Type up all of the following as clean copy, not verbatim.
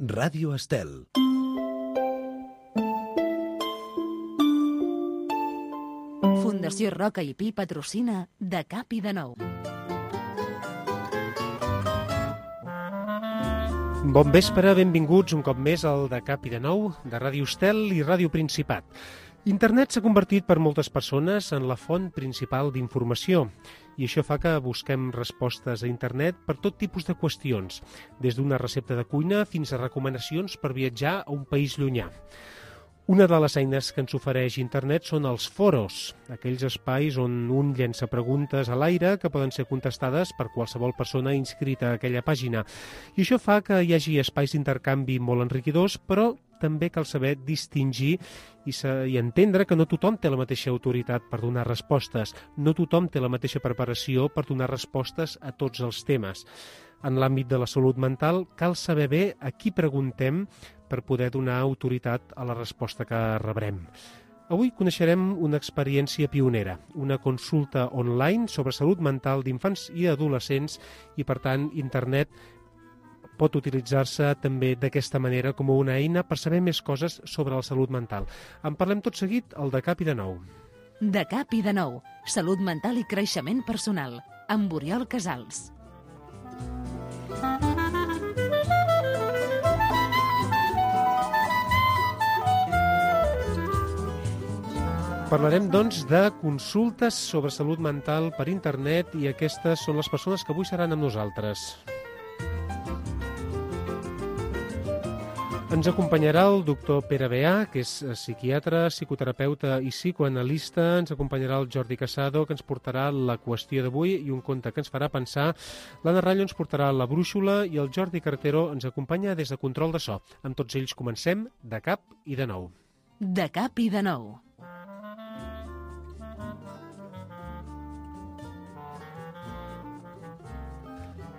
Ràdio Estel. Fundació Roca i Pi patrocina De Cap i de Nou. Bon vespre, benvinguts un cop més al De Cap i de Nou de Ràdio Estel i Ràdio Principat. Internet s'ha convertit per moltes persones en la font principal d'informació i això fa que busquem respostes a internet per tot tipus de qüestions, des d'una recepta de cuina fins a recomanacions per viatjar a un país llunyà. Una de les eines que ens ofereix internet són els foros, aquells espais on un llença preguntes a l'aire que poden ser contestades per qualsevol persona inscrita a aquella pàgina. I això fa que hi hagi espais d'intercanvi molt enriquidors, però també cal saber distingir i entendre que no tothom té la mateixa autoritat per donar respostes, no tothom té la mateixa preparació per donar respostes a tots els temes. En l'àmbit de la salut mental, cal saber bé a qui preguntem per poder donar autoritat a la resposta que rebrem. Avui coneixerem una experiència pionera, una consulta online sobre salut mental d'infants i adolescents i, per tant, internet pot utilitzar-se també d'aquesta manera com una eina per saber més coses sobre la salut mental. En parlem tot seguit al De Cap i de Nou. De Cap i de Nou. Salut mental i creixement personal. Amb Oriol Casals. Parlarem, doncs, de consultes sobre salut mental per internet i aquestes són les persones que avui seran amb nosaltres. Ens acompanyarà el doctor Pere Beà, que és psiquiatre, psicoterapeuta i psicoanalista. Ens acompanyarà el Jordi Casado, que ens portarà la qüestió d'avui i un conte que ens farà pensar. L'Anna Rallo ens portarà la brúixola i el Jordi Carretero ens acompanya des de control de so. Amb tots ells comencem De Cap i de Nou. De Cap i de Nou.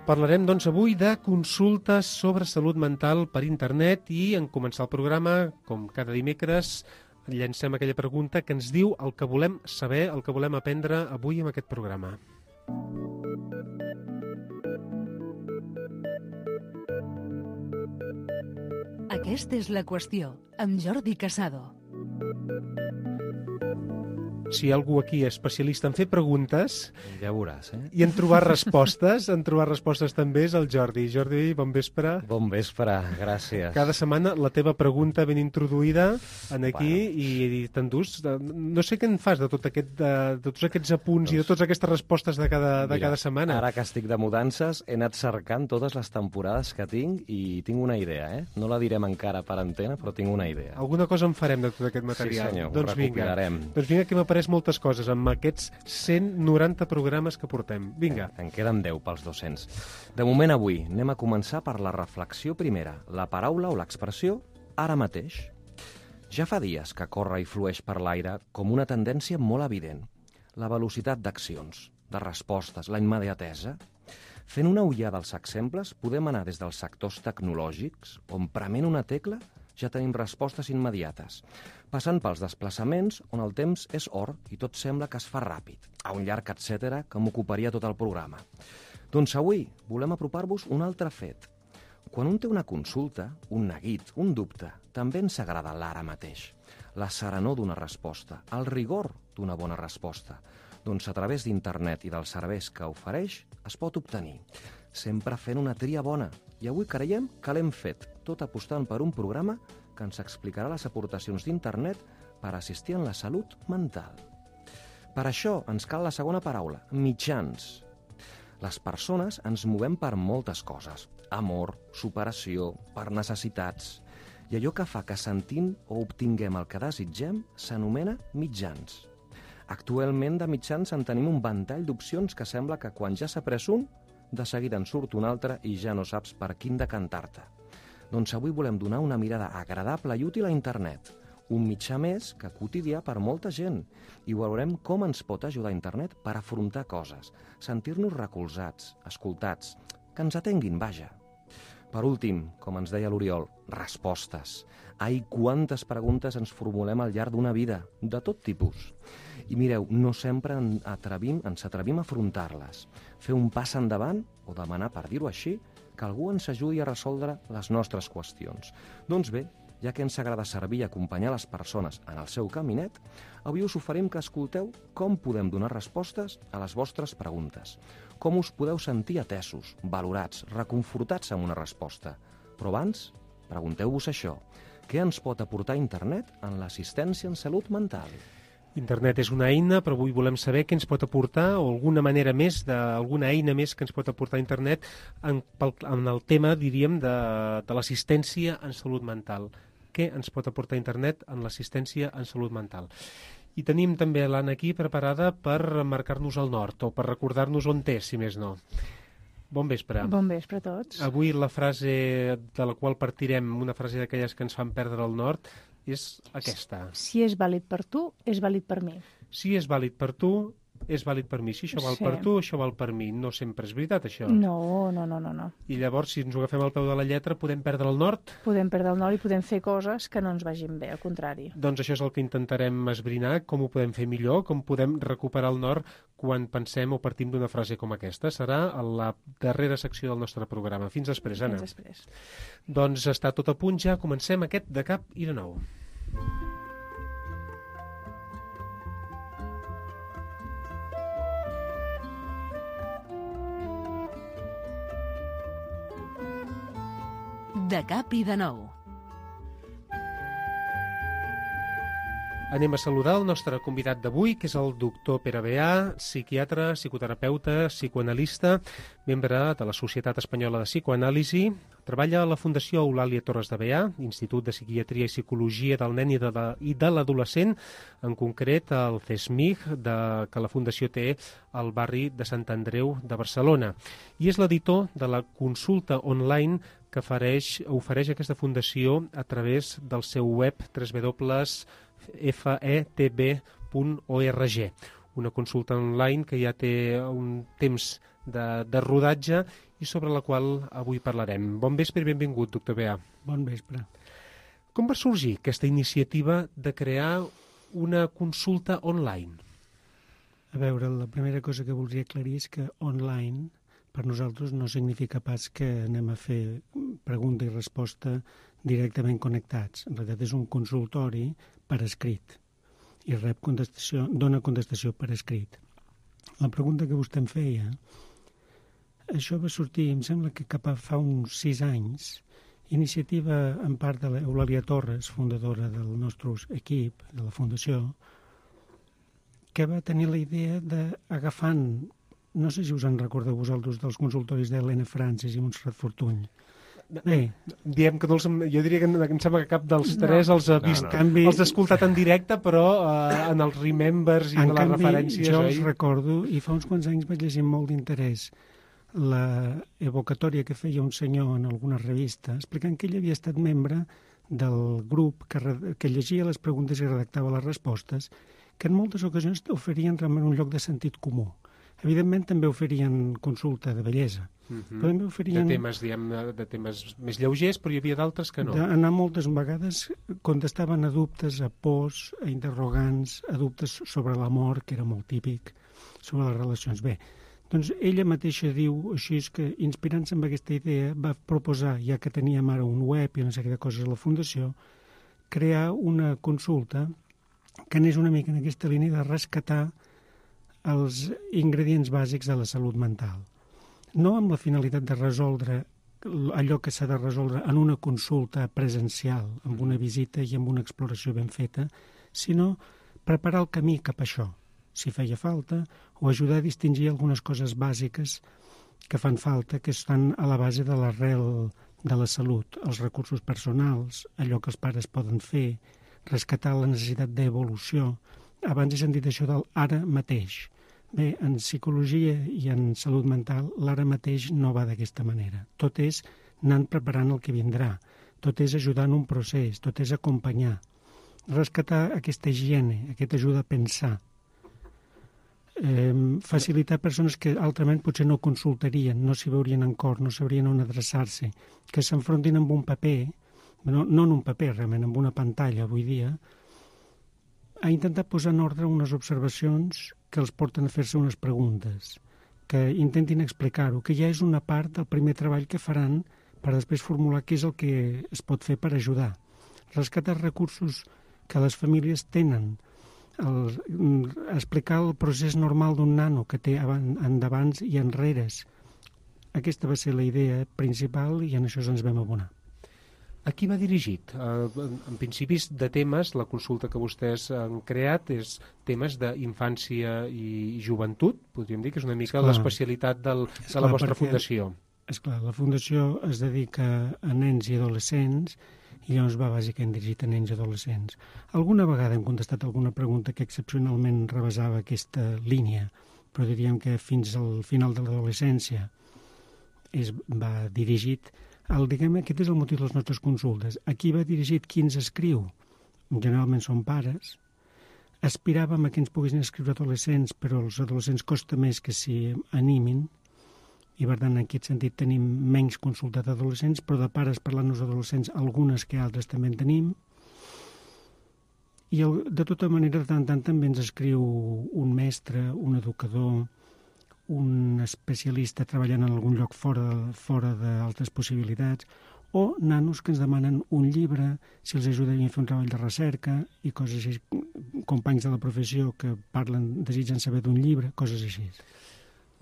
Parlarem, doncs, avui de consultes sobre salut mental per internet i en començar el programa, com cada dimecres, llancem aquella pregunta que ens diu el que volem saber, el que volem aprendre avui en aquest programa. Aquesta és la qüestió, amb Jordi Casado. Si hi ha algú aquí especialista en fer preguntes ja veuràs, i en trobar respostes, també és el Jordi. Jordi, bon vespre. Bon vespre, gràcies. Cada setmana la teva pregunta ben introduïda en aquí i t'endús. No sé què en fas de tots aquests apunts i de totes aquestes respostes de cada setmana. Ara que estic de mudances, he anat cercant totes les temporades que tinc i tinc una idea, No la direm encara per antena, però tinc una idea. Alguna cosa en farem de tot aquest material. Sí, senyor, doncs ho recopilarem. Doncs vinga, que m'apareix moltes coses amb aquests 190 programes que portem. Vinga. En queden 10 pels 200. De moment avui anem a començar per la reflexió primera, la paraula o l'expressió ara mateix. Ja fa dies que corre i flueix per l'aire com una tendència molt evident. La velocitat d'accions, de respostes, la immediatesa. Fent una ullada als exemples, podem anar des dels sectors tecnològics, on prement una tecla ja tenim respostes immediates, passant pels desplaçaments on el temps és or i tot sembla que es fa ràpid, a un llarg etcètera que m'ocuparia tot el programa. Doncs avui volem apropar-vos un altre fet. Quan un té una consulta, un neguit, un dubte, també ens agrada l'ara mateix, la serenor d'una resposta, el rigor d'una bona resposta. Doncs a través d'internet i dels serveis que ofereix es pot obtenir, sempre fent una tria bona. I avui creiem que l'hem fet, tot apostant per un programa que ens explicarà les aportacions d'internet per assistir en la salut mental. Per això ens cal la segona paraula, mitjans. Les persones ens movem per moltes coses, amor, superació, per necessitats. I allò que fa que sentim o obtinguem el que desitgem s'anomena mitjans. Actualment de mitjans en tenim un ventall d'opcions que sembla que quan ja s'ha pres un, de seguida en surt un altre i ja no saps per quin decantar-te. Doncs avui volem donar una mirada agradable i útil a internet, un mitjà més que quotidià per molta gent, i veurem com ens pot ajudar internet per afrontar coses, sentir-nos recolzats, escoltats, que ens atenguin, vaja. Per últim, com ens deia l'Oriol, respostes. Ai, quantes preguntes ens formulem al llarg d'una vida, de tot tipus. I mireu, no sempre ens atrevim a afrontar-les. Fer un pas endavant, o demanar, per dir-ho així, que algú ens ajudi a resoldre les nostres qüestions. Doncs bé, ja que ens agrada servir i acompanyar les persones en el seu caminet, avui us oferim que escolteu com podem donar respostes a les vostres preguntes, com us podeu sentir atesos, valorats, reconfortats amb una resposta. Però abans, pregunteu-vos això. Què ens pot aportar internet en l'assistència en salut mental? Internet és una eina, però avui volem saber què ens pot aportar o alguna eina més que ens pot aportar internet en el tema, diríem, de l'assistència en salut mental. Què ens pot aportar internet en l'assistència en salut mental? I tenim també l'Anna aquí preparada per marcar-nos el nord o per recordar-nos on és, si més no. Bon vespre. Bon vespre a tots. Avui la frase de la qual partirem, una frase d'aquelles que ens fan perdre el nord, és aquesta. Si és vàlid per tu, és vàlid per mi. Si és vàlid per tu, és vàlid per mi. Si això val per tu, això val per mi. No sempre és veritat, això. No. I llavors, si ens ho agafem al peu de la lletra, podem perdre el nord? Podem perdre el nord i podem fer coses que no ens vagin bé, al contrari. Doncs això és el que intentarem esbrinar, com ho podem fer millor, com podem recuperar el nord quan pensem o partim d'una frase com aquesta. Serà a la darrera secció del nostre programa. Fins després, Anna. Fins després. Doncs està tot a punt ja. Comencem aquest de cap i de nou. De cap i de nou. Anem a saludar el nostre convidat d'avui, que és el doctor Pere Beà, psiquiatre, psicoterapeuta, psicoanalista, membre de la Societat Espanyola de Psicoanàlisi. Treballa a la Fundació Eulàlia Torres de Beà, Institut de Psiquiatria i Psicologia del Nen i de l'Adolescent, en concret el CESMIG, que la Fundació té al barri de Sant Andreu de Barcelona. I és l'editor de la consulta online que ofereix aquesta fundació a través del seu web www.fetb.org. Una consulta online que ja té un temps de rodatge i sobre la qual avui parlarem. Bon vespre i benvingut, doctor Beà. Bon vespre. Com va sorgir aquesta iniciativa de crear una consulta online? A veure, la primera cosa que voldria aclarir és que online per nosaltres no significa pas que anem a fer pregunta i resposta directament connectats. En realitat és un consultori per escrit i dona contestació per escrit. La pregunta que vostè em feia, això va sortir, em sembla que cap a fa uns 6 anys, iniciativa en part de l'Eulàlia Torres, fundadora del nostre equip, de la Fundació, que va tenir la idea d'agafant, no sé si us en recordeu vosaltres dels consultoris d'Helena Francis i Montserrat Fortuny. Bé, diem que jo diria que em sembla que cap dels tres els ha vist, els ha escoltat en directe, però en els remembers i en les referències. Jo els recordo, i fa uns quants anys vaig llegir amb molt d'interès la evocatòria que feia un senyor en alguna revista, explicant que ell havia estat membre del grup que llegia les preguntes i redactava les respostes, que en moltes ocasions oferien realment un lloc de sentit comú. Evidentment també oferien consulta de bellesa. Però també oferien... De temes més lleugers, però hi havia d'altres que no. Anar moltes vegades contestaven a dubtes, a pors, a interrogants, a dubtes sobre l'amor, que era molt típic, sobre les relacions. Bé, doncs ella mateixa diu, així és que, inspirant-se en aquesta idea, va proposar, ja que teníem ara un web i una sèrie de coses a la Fundació, crear una consulta que anés una mica en aquesta línia de rescatar els ingredients bàsics de la salut mental. No amb la finalitat de resoldre allò que s'ha de resoldre en una consulta presencial, amb una visita i amb una exploració ben feta, sinó preparar el camí cap a això, si feia falta, o ajudar a distingir algunes coses bàsiques que fan falta, que estan a la base de l'arrel de la salut, els recursos personals, allò que els pares poden fer, rescatar la necessitat d'evolució. Abans he sentit això del ara mateix. Bé, en psicologia i en salut mental, l'ara mateix no va d'aquesta manera. Tot és anant preparant el que vindrà. Tot és ajudar en un procés, tot és acompanyar. Rescatar aquesta higiene, aquesta ajuda a pensar. Facilitar persones que altrament potser no consultarien, no s'hi veurien en cor, no sabrien on adreçar-se, que s'enfrontin amb un paper, no en un paper realment, amb una pantalla avui dia, a intentar posar en ordre unes observacions que els porten a fer-se unes preguntes, que intentin explicar-ho, que ja és una part del primer treball que faran per després formular què és el que es pot fer per ajudar. Rescatar recursos que les famílies tenen, explicar el procés normal d'un nano que té endavants i enreres. Aquesta va ser la idea principal i en això ens vam abonar. A qui va dirigit? En principis de temes, la consulta que vostès han creat és temes d'infància i joventut, podríem dir que és una mica l'especialitat de la vostra fundació. Esclar, la fundació es dedica a nens i adolescents i llavors va bàsicament dirigit a nens i adolescents. Alguna vegada hem contestat alguna pregunta que excepcionalment rebasava aquesta línia, però diríem que fins al final de l'adolescència va dirigit. Aquest és el motiu de les nostres consultes. A qui va dirigit, qui ens escriu? Generalment són pares. Aspiràvem a que ens poguessin escriure adolescents, però els adolescents costa més que s'hi animin, i per tant en aquest sentit tenim menys consulta d'adolescents, però de pares parlant-nos d'adolescents, algunes que altres també en tenim. I de tota manera, de tant en tant també ens escriu un mestre, un educador, un especialista treballant en algun lloc fora d'altres possibilitats, o nanos que ens demanen un llibre, si els ajudem a fer un treball de recerca i coses així, companys de la professió que desitgen saber d'un llibre, coses així.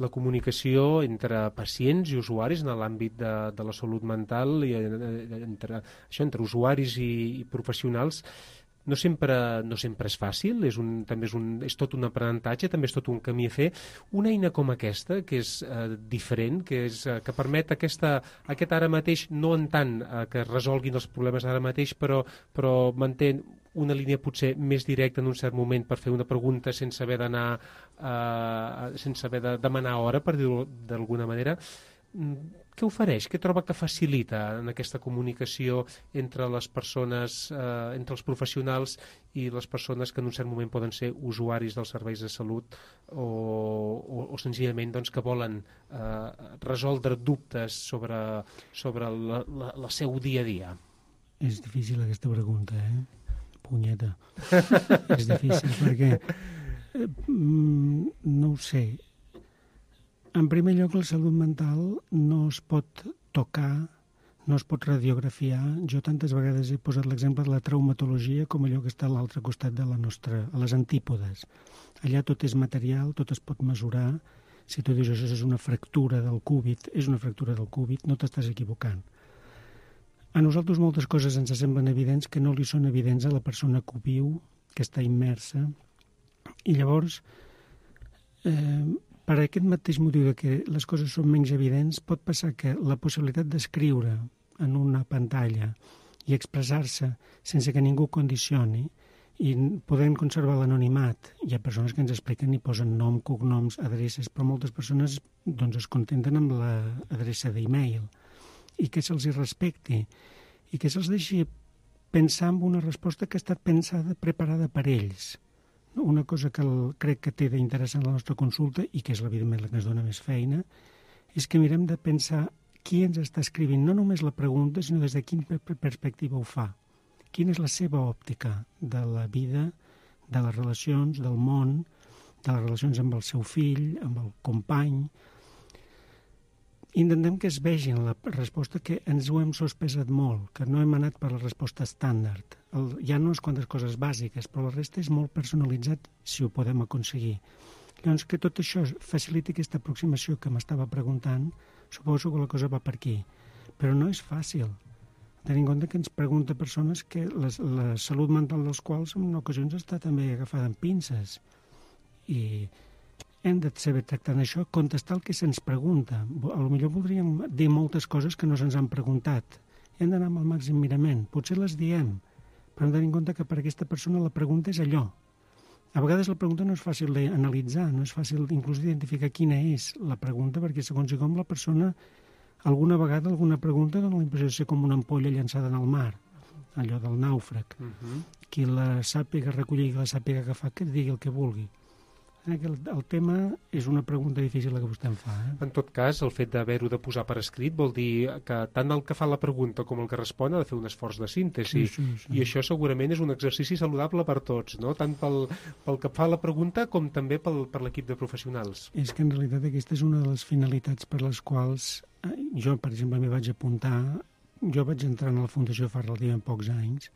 La comunicació entre pacients i usuaris en l'àmbit de la salut mental i entre usuaris i professionals no sempre és fàcil, és tot un aprenentatge, també és tot un camí a fer. Una eina com aquesta, que és diferent, que permet aquest ara mateix, no en tant que resolguin els problemes ara mateix, però manté una línia potser més directa en un cert moment per fer una pregunta sense haver de demanar hora, per dir-ho d'alguna manera. Què ofereix? Què troba que facilita en aquesta comunicació entre les persones, entre els professionals i les persones que en un cert moment poden ser usuaris dels serveis de salut o senzillament que volen resoldre dubtes sobre el seu dia a dia? És difícil aquesta pregunta, punyeta. És difícil perquè no ho sé. En primer lloc, la salut mental no es pot tocar, no es pot radiografiar. Jo tantes vegades he posat l'exemple de la traumatologia com allò que està a l'altre costat de a les antípodes. Allà tot és material, tot es pot mesurar. Si tu dius això és una fractura del cúbit, és una fractura del cúbit, no t'estàs equivocant. A nosaltres moltes coses ens semblen evidents que no li són evidents a la persona que ho viu, que està immersa. I llavors, per aquest mateix motiu que les coses són menys evidents, pot passar que la possibilitat d'escriure en una pantalla i expressar-se sense que ningú condicioni i podem conservar l'anonimat. Hi ha persones que ens expliquen i posen nom, cognoms, adreces, però moltes persones es contenten amb l'adreça d'e-mail i que se'ls respecti i que se'ls deixi pensar en una resposta que ha estat preparada per ells. Una cosa que crec que té d'interessant la nostra consulta, i que és evidentment la que ens dona més feina, és que mirem de pensar qui ens està escrivint, no només la pregunta, sinó des de quina perspectiva ho fa. Quina és la seva òptica de la vida, de les relacions, del món, de les relacions amb el seu fill, amb el company. Intentem que es vegi en la resposta que ens ho hem sospesat molt, que no hem anat per la resposta estàndard. Hi ha unes quantes coses bàsiques, però la resta és molt personalitzat si ho podem aconseguir. Llavors, que tot això faciliti aquesta aproximació que m'estava preguntant, suposo que la cosa va per aquí. Però no és fàcil. Tenint en compte que ens pregunta persones que la salut mental dels quals en ocasions està també agafada en pinces. I hem de saber tractar això, contestar el que se'ns pregunta. Potser voldríem dir moltes coses que no se'ns han preguntat. Hem d'anar amb el màxim mirament. Potser les diem, però hem de tenir en compte que per aquesta persona la pregunta és allò. A vegades la pregunta no és fàcil d'analitzar, no és fàcil inclús d'identificar quina és la pregunta, perquè segons com la persona, alguna vegada alguna pregunta dona la impressió de ser com una ampolla llançada en el mar, allò del nàufrag. Qui la sàpiga recollir i la sàpiga agafar, que digui el que vulgui. El tema és una pregunta difícil la que vostè em fa. En tot cas, el fet d'haver-ho de posar per escrit vol dir que tant el que fa la pregunta com el que respon ha de fer un esforç de síntesi. Sí. I això segurament és un exercici saludable per tots, no? Tant pel que fa la pregunta com també per l'equip de professionals. És que en realitat aquesta és una de les finalitats per les quals jo, per exemple, m'hi vaig apuntar. Jo vaig entrar a la Fundació fa relativament pocs anys.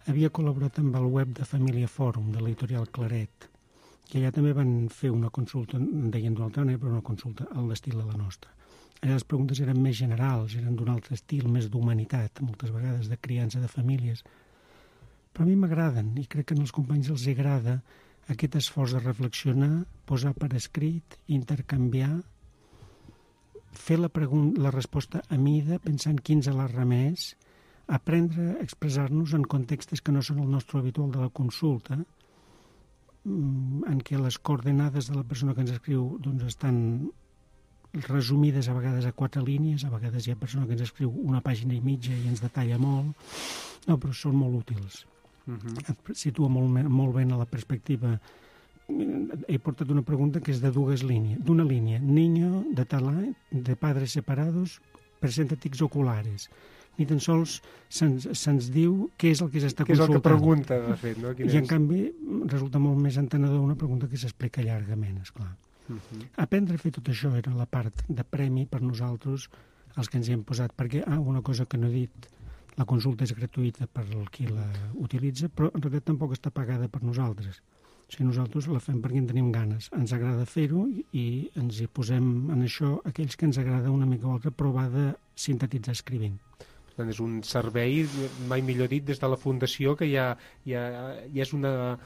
Havia col·laborat amb el web de Família Fòrum, de l'editorial Claret, que allà també van fer una consulta, en deien d'una altra manera, però una consulta al l'estil de la nostra. Allà les preguntes eren més generals, eren d'un altre estil, més d'humanitat, moltes vegades de criança de famílies. Però a mi m'agraden, i crec que als companys els agrada aquest esforç de reflexionar, posar per escrit, intercanviar, fer la resposta a mida, pensant quins a la remés, aprendre a expressar-nos en contextes que no són el nostre habitual de la consulta, en què les coordenades de la persona que ens escriu doncs, estan resumides a vegades a 4 línies, a vegades hi ha persona que ens escriu una pàgina i mitja i ens detalla molt, no, però són molt útils. Et situa molt ben a la perspectiva. He portat una pregunta que és de d'una línia. Niño de tal any, de padres separados, presenta tics oculares. Ni tan sols se'ns diu què és el que s'està consultant. Què és el que pregunta, de fet, no? I, en canvi, resulta molt més entenedor una pregunta que s'explica llargament, esclar. Aprendre a fer tot això era la part de premi per nosaltres, els que ens hi hem posat, perquè, una cosa que no he dit, la consulta és gratuïta per qui la utilitza, però en realitat tampoc està pagada per nosaltres. O sigui, nosaltres la fem perquè en tenim ganes. Ens agrada fer-ho i ens hi posem en això aquells que ens agrada una mica o altra provar de sintetitzar escrivint. És un servei, mai millor dit, des de la Fundació, que ja és una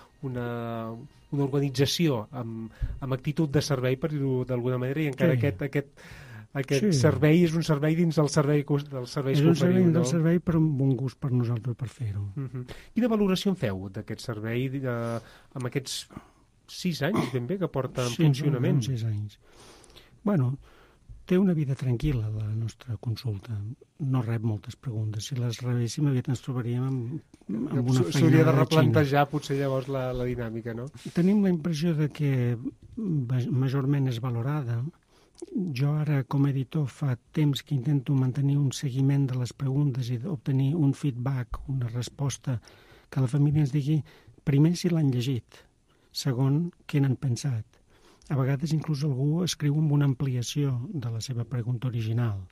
organització amb actitud de servei, per dir-ho d'alguna manera, i encara aquest servei és un servei dins del servei dels serveis que oferiu. És un servei del servei, però amb un gust per nosaltres per fer-ho. Quina valoració en feu d'aquest servei amb aquests 6 anys ben bé que porta en funcionament? Sí, 6 anys. Bueno, té una vida tranquil·la, la nostra consulta. No rep moltes preguntes. Si les rebéssim, aviat ens trobaríem amb una feinada. S'hauria de replantejar potser llavors la dinàmica, no? Tenim la impressió de que majorment és valorada. Jo ara, com a editor, fa temps que intento mantenir un seguiment de les preguntes i obtenir un feedback, una resposta, que la família ens digui, primer, si l'han llegit, segon, què n'han pensat. A vegades inclús algú escriu amb una ampliació de la seva pregunta original.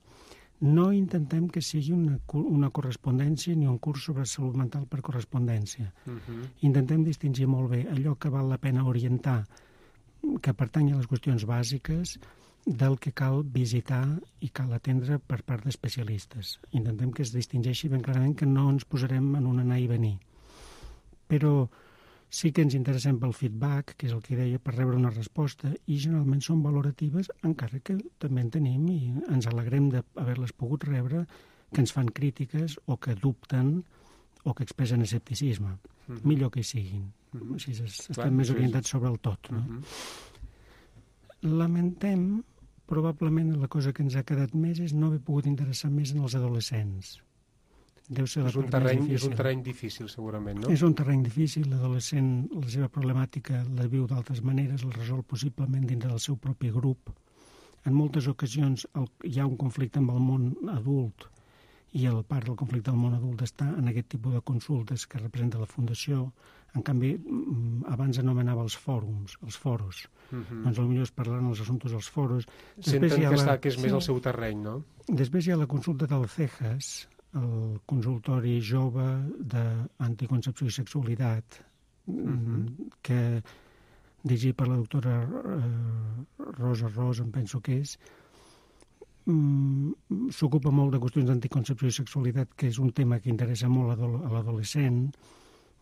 No intentem que sigui una correspondència ni un curs sobre salut mental per correspondència. Intentem distingir molt bé allò que val la pena orientar, que pertany a les qüestions bàsiques, del que cal visitar i cal atendre per part d'especialistes. Intentem que es distingeixi ben clarament que no ens posarem en un anar i venir. Però sí que ens interessem pel feedback, que és el que deia, per rebre una resposta, i generalment són valoratives, encara que també en tenim i ens alegrem d'haver-les pogut rebre, que ens fan crítiques o que dubten o que expressen escepticisme. Millor que hi siguin. Així estem més orientats sobre el tot. No? Lamentem, probablement la cosa que ens ha quedat més és no haver pogut interessar més en els adolescents. És un terreny difícil, segurament, no? És un terreny difícil. L'adolescent, la seva problemàtica la viu d'altres maneres, la resol possiblement dins del seu propi grup. En moltes ocasions hi ha un conflicte amb el món adult i el part del conflicte del món adult està en aquest tipus de consultes que representa la Fundació. En canvi, abans anomenava els fòrums, els foros. Doncs potser es parlaran els assumptes dels foros. Senten que és més el seu terreny, no? Després hi ha la consulta del CEJAS, el consultori jove d'anticoncepció i sexualitat, que dirigit per la doctora Rosa Ros, em penso que és, s'ocupa molt de qüestions d'anticoncepció i sexualitat, que és un tema que interessa molt a l'adolescent,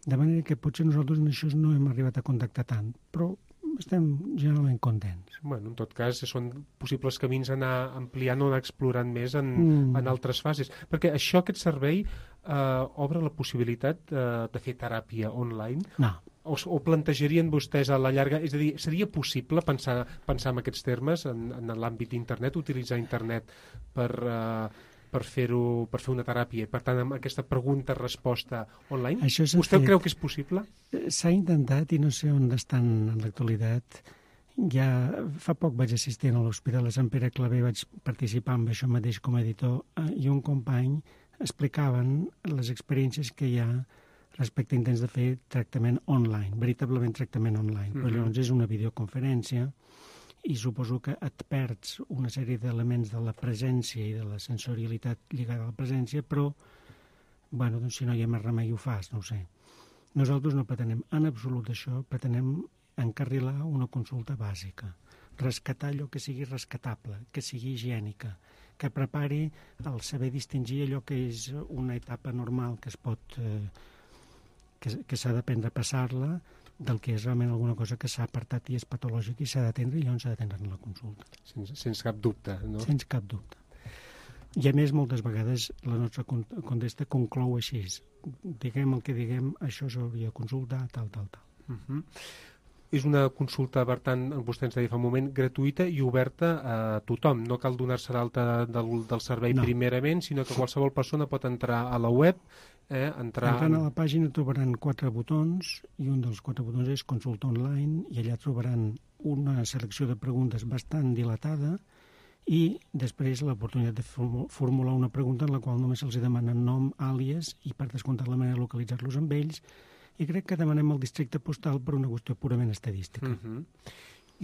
de manera que potser nosaltres en això no hem arribat a contactar tant, però estem generalment contents. Bueno, en tot cas, són possibles camins a anar ampliant o anar explorant més en altres fases. Perquè aquest servei obre la possibilitat de fer teràpia online? No. O plantejarien vostès a la llarga... És a dir, seria possible pensar en aquests termes en l'àmbit d'internet, utilitzar internet per fer una teràpia, per tant, amb aquesta pregunta-resposta online? Vostè creu que és possible? S'ha intentat i no sé on estan en l'actualitat Ja fa poc vaig assistir a l'Hospital de Sant Pere Claver, vaig participar en això mateix com a editor, i un company explicaven les experiències que hi ha respecte a intents de fer tractament online, veritablement tractament online. Però llavors és una videoconferència i suposo que et perds una sèrie d'elements de la presència i de la sensorialitat lligada a la presència, però, bueno, doncs si no hi ha més remei ho fas, no ho sé. Nosaltres no pretenem en absolut això, pretenem encarrilar una consulta bàsica, rescatar allò que sigui rescatable, que sigui higiènica, que prepari el saber distingir allò que és una etapa normal que es pot... que s'ha d'aprendre a passar-la del que és realment alguna cosa que s'ha apartat i és patològic i s'ha d'atendre i llavors s'ha d'atendre en la consulta. Sense cap dubte, no? Sense cap dubte. I a més, moltes vegades la nostra contesta conclou així. Diguem el que diguem, això s'hauria de consultar, tal. És una consulta, per tant, vostè ens deia fa un moment, gratuïta i oberta a tothom. No cal donar-se d'alta del servei primerament, sinó que qualsevol persona pot entrar a la web, Entrant a la pàgina trobaran 4 botons i un dels 4 botons és consulta online i allà trobaran una selecció de preguntes bastant dilatada i després l'oportunitat de formular una pregunta en la qual només se'ls demanen nom, àlies i per descomptat la manera de localitzar-los amb ells, i crec que demanem el districte postal per una qüestió purament estadística.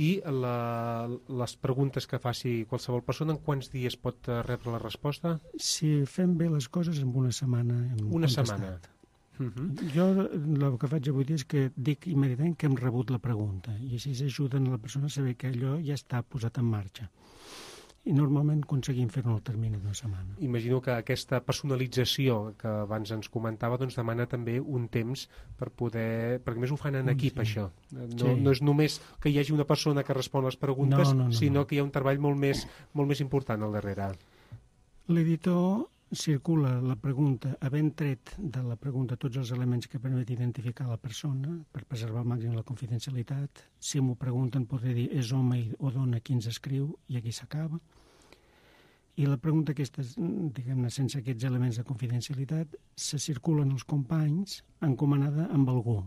I les preguntes que faci qualsevol persona, en quants dies pot rebre la resposta? Si fem bé les coses, en una setmana hem contestat. Jo el que faig avui dia és que dic immediatament que hem rebut la pregunta i així ajuden a la persona a saber que allò ja està posat en marxa. I normalment aconseguim fer-ho en el termini d'una setmana. Imagino que aquesta personalització que abans ens comentava doncs demana també un temps per poder... Perquè més ho fan en equip, això. No és només que hi hagi una persona que respon les preguntes, sinó que hi ha un treball molt més important al darrere. L'editor circula la pregunta, havent tret de la pregunta tots els elements que permet identificar la persona per preservar al màxim la confidencialitat. Si m'ho pregunten podré dir és home o dona qui ens escriu i aquí s'acaba. I la pregunta aquesta, diguem-ne, sense aquests elements de confidencialitat, se circulen els companys encomanada amb algú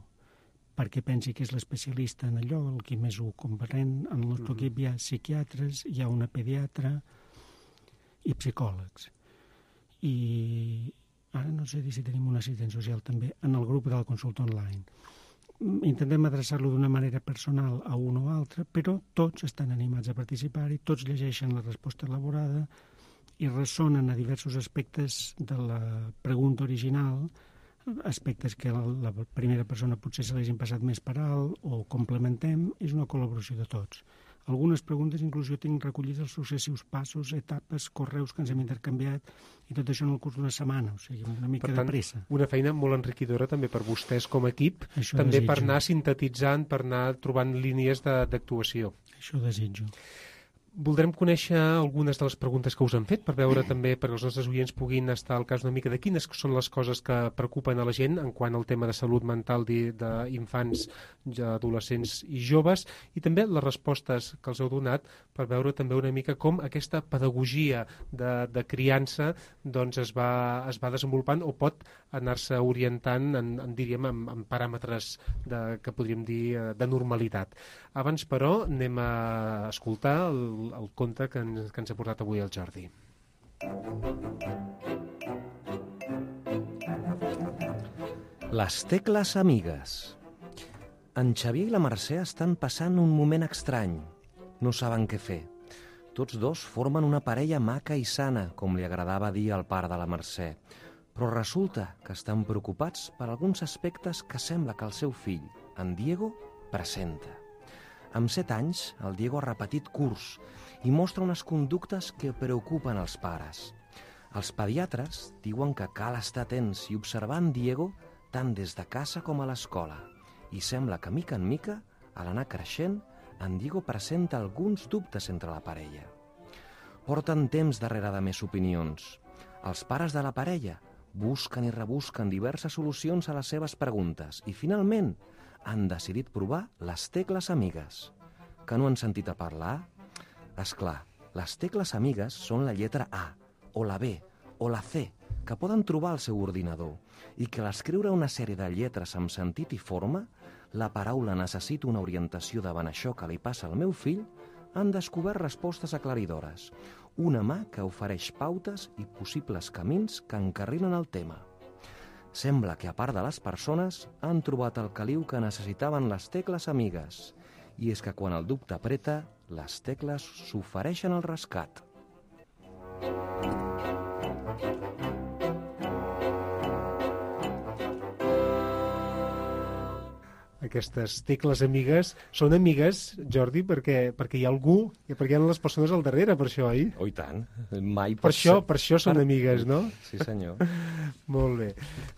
perquè pensi que és l'especialista en allò, el qui més ho comprèn. En el nostre equip hi ha psiquiatres, hi ha una pediatra i psicòlegs. I ara no sé si tenim un assistent social també en el grup de la consulta online. Intentem adreçar-lo d'una manera personal a un o altre, però tots estan animats a participar-hi, tots llegeixen la resposta elaborada i ressonen a diversos aspectes de la pregunta original, aspectes que la primera persona potser se l'hagin passat més per alt o complementem. És una col·laboració de tots. Algunes preguntes inclús jo tinc recollits els successius passos, etapes, correus que ens hem intercanviat i tot això en el curs d'una setmana, o sigui, una mica de pressa. Una feina molt enriquidora també per vostès com a equip, també per anar sintetitzant, per anar trobant línies d'actuació. Això desitjo. Voldrem conèixer algunes de les preguntes que us han fet per veure també, perquè els nostres oients puguin estar al cas una mica de quines són les coses que preocupen a la gent en quant al tema de salut mental d'infants, adolescents i joves, i també les respostes que els heu donat per veure també una mica com aquesta pedagogia de criança doncs es va desenvolupant o pot anar-se orientant diríem, en paràmetres que podríem dir de normalitat. Abans, però, anem a escoltar el conte que ens ha portat avui el Jordi. Les tecles amigues. En Xavier i la Mercè estan passant un moment estrany. No saben què fer. Tots dos formen una parella maca i sana, com li agradava dir al pare de la Mercè. Però resulta que estan preocupats per alguns aspectes que sembla que el seu fill, en Diego, presenta. Amb 7 anys, el Diego ha repetit curs i mostra unes conductes que preocupen els pares. Els pediatres diuen que cal estar atents i observar en Diego tant des de casa com a l'escola. I sembla que, mica en mica, a l'anar creixent, en Diego presenta alguns dubtes entre la parella. Porten temps darrere de més opinions. Els pares de la parella busquen i rebusquen diverses solucions a les seves preguntes i, finalment, han decidit provar les tecles amigues. Que no han sentit a parlar? És clar, les tecles amigues són la lletra A, o la B, o la C, que poden trobar al seu ordinador i que a l'escriure una sèrie de lletres amb sentit i forma, la paraula necessita una orientació davant això que li passa al meu fill, han descobert respostes aclaridores, una mà que ofereix pautes i possibles camins que encarrilen el tema. Sembla que, a part de les persones, han trobat el caliu que necessitaven les tecles amigues. I és que quan el dubte apreta, les tecles s'ofereixen al rescat. Aquestes tecles amigues són amigues, Jordi, perquè hi ha algú, perquè hi ha les persones al darrere, per això, oi? Oh, i tant. Mai Per això són amigues, no? Sí, senyor. Molt bé.